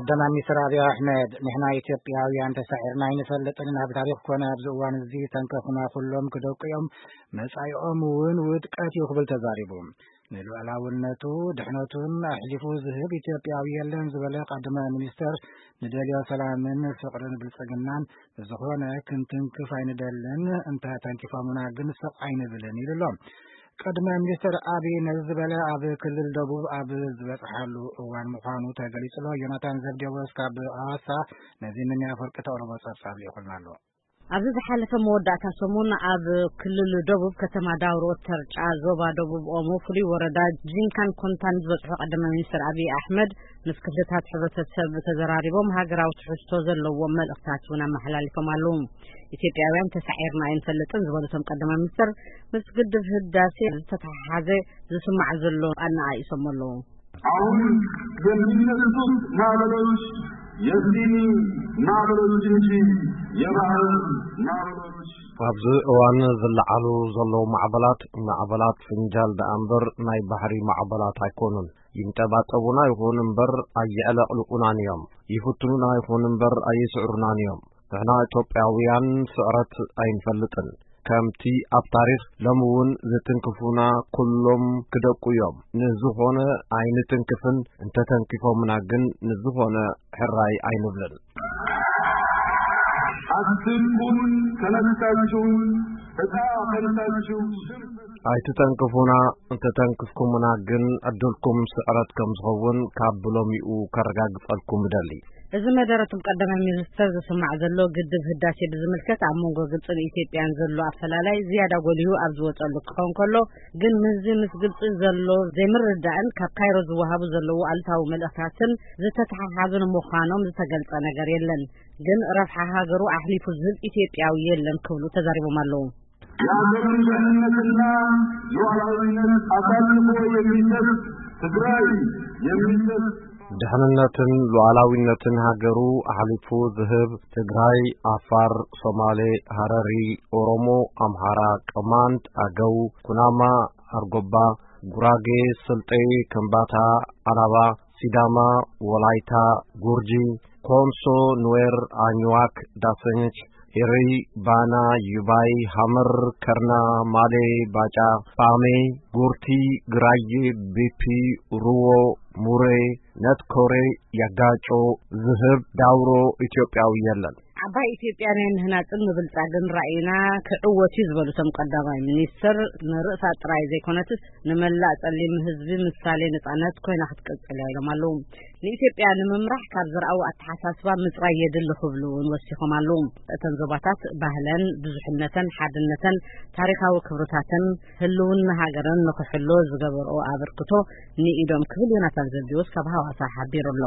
ቀዳማይ ሚኒስትር ኣብይ ኣሕመድ፣ "ንሕና ኢትዮጵያውያን ተሳዒርና ኣይንፈልጥን፣ ኣብ ታሪኽ ኮነ ኣብዚ እዋን እዚ ተንከፍና ኩሎም ክደቁ እዮም፣ መጻኢኦም እውን ውድቀት እዩ" ክብል ተዛሪቡ። ንሉዓላውነቱ፣ ድሕነቱን ኣሕሊፉ ዝህብ ኢትዮጵያዊ የለን ዝበለ ቀዳማይ ሚኒስትር፣ ንደልዮ ሰላምን ፍቕርን ብልጽግናን ብዝኾነ ክንትንክፍ ኣይንደልን፣ እንተ ተንኪፎምና ግን ስቕ ኣይንብልን ኢሉ ኣሎ። ቀዳማይ ሚኒስትር ኣብይ ነዚ ዝበለ ኣብ ክልል ደቡብ ኣብ ዝበጽሓሉ እዋን ምዃኑ ተገሊጹ ኣሎ። ዮናታን ዘብዴዎስ ካብ ኣዋሳ ነዚ ምን ኣፈወርቂ ተቕርቦ ጸብጻብ ልኢኹልና ኣሎ። ኣብዚ ዝሓለፈ መወዳእታ ሰሙን ኣብ ክልል ደቡብ ከተማ ዳውሮ ተርጫ ዞባ ደቡብ ኦሞ ፍሉይ ወረዳ ጂንካን ኮንታን ዝበጽሑ ቀዳማይ ሚኒስትር ኣብይ ኣሕመድ ምስ ክፍልታት ሕብረተሰብ ተዘራሪቦም ሃገራዊ ትሕዝቶ ዘለዎም መልእኽታት እውን ኣመሓላሊፎም ኣለዉ። ኢትዮጵያውያን ተሳዒርና ኣይንፈልጥን ዝበሉቶም ቀዳማይ ሚኒስትር ምስ ግድብ ህዳሴ ዝተተሓሓዘ ዝስማዕ ዘሎ ኣነኣኢሶም ኣለዉ። አሁን የሚነሱት ማዕበሎች የሲኒ ማዕበሎች እንጂ የባህር ማዕበሎች ኣብዚ እዋን ዝለዓሉ ዘለዉ ማዕበላት፣ ማዕበላት ፍንጃል ደኣ እምበር ናይ ባሕሪ ማዕበላት ኣይኮኑን። ይንጠባጠቡና ይኹን እምበር ኣየዕለቕልቑናን እዮም። ይፍትኑና ይኹን እምበር ኣይስዕሩናን እዮም። ንሕና ኢትዮጵያውያን ስዕረት ኣይንፈልጥን። ከምቲ ኣብ ታሪኽ ሎሚ እውን ዝትንክፉና ኩሎም ክደቁ እዮም። ንዝኾነ ኣይንትንክፍን፣ እንተተንኪፎምና ግን ንዝኾነ ሕራይ ኣይንብልን። አትንኩን፣ ተነስታችሁ እጣ ፈንታችሁ ሽንፈት ኣይትተንክፉና፣ እንተተንክፍኩምና ግን ዕድልኩም ስዕረት ከም ዝኸውን ካብ ብሎሚኡ ከረጋግጸልኩም እደሊ። እዚ መደረቶም ቀዳማይ ሚኒስተር ዝስማዕ ዘሎ ግድብ ህዳሴ ብዝምልከት ኣብ መንጎ ግብጽን ኢትዮጵያን ዘሎ ኣፈላላይ ዝያዳ ጎሊሁ ኣብ ዝወጸሉ ክኸውን ከሎ፣ ግን ምስዚ ምስ ግብጺ ዘሎ ዘይምርድዳእን ካብ ካይሮ ዝወሃቡ ዘለዉ ኣሉታዊ መልእኽታትን ዝተተሓሓዙ ንምዃኖም ዝተገልጸ ነገር የለን። ግን ረብሓ ሃገሩ ኣሕሊፉ ዝህብ ኢትዮጵያዊ የለን ክብሉ ተዛሪቦም ኣለዉ። የሀገሩን ደህንነትና ሉዓላዊነት አሳልፎ የሚሰጥ ትግራይ የሚሰጥ ድሕንነትን ሉዓላዊነትን ሃገሩ ኣሕሊፉ ዝህብ ትግራይ፣ ዓፋር፣ ሶማሌ፣ ሃረሪ፣ ኦሮሞ፣ ኣምሓራ፣ ቅማንት፣ ኣገው፣ ኩናማ፣ ኣርጎባ፣ ጉራጌ፣ ስልጤ፣ ከምባታ፣ ዓላባ፣ ሲዳማ፣ ወላይታ፣ ጉርጂ፣ ኮንሶ፣ ኑዌር፣ ኣኝዋክ፣ ዳሰንች፣ ኤረይ፣ ባና፣ ዩባይ፣ ሃመር፣ ከርና፣ ማሌ፣ ባጫ፣ ጳሜ፣ ጉርቲ፣ ግራዬ፣ ቢፒ፣ ሩዎ፣ ሙሬ፣ ነትኮሬ፣ ያጋጮ፣ ዝህብ፣ ዳውሮ ኢትዮጵያዊ የለን። ዓባይ ኢትዮጵያ ናይ ምህናጽን ምብልጻግን ራእይና ክዕወት እዩ ዝበሉ እቶም ቀዳማይ ሚኒስትር፣ ንርእሳ ጥራይ ዘይኮነትስ ንመላእ ጸሊም ህዝቢ ምሳሌ ነጻነት ኮይና ክትቅጽል እያ ኢሎም ኣለዉ። ንኢትዮጵያ ንምምራሕ ካብ ዝረኣዊ ኣተሓሳስባ ምጽራይ የድሊ ክብሉ እውን ወሲኾም ኣለዉ። እተን ዞባታት ባህለን፣ ብዙሕነተን፣ ሓድነተን፣ ታሪኻዊ ክብርታተን፣ ህልውና ሃገረን ንኽሕሎ ዝገበርኦ ኣበርክቶ ንኢዶም ክብል ዮናታን ዘብዴዎስ ካብ ሃዋሳ ሓቢሩ ኣሎ።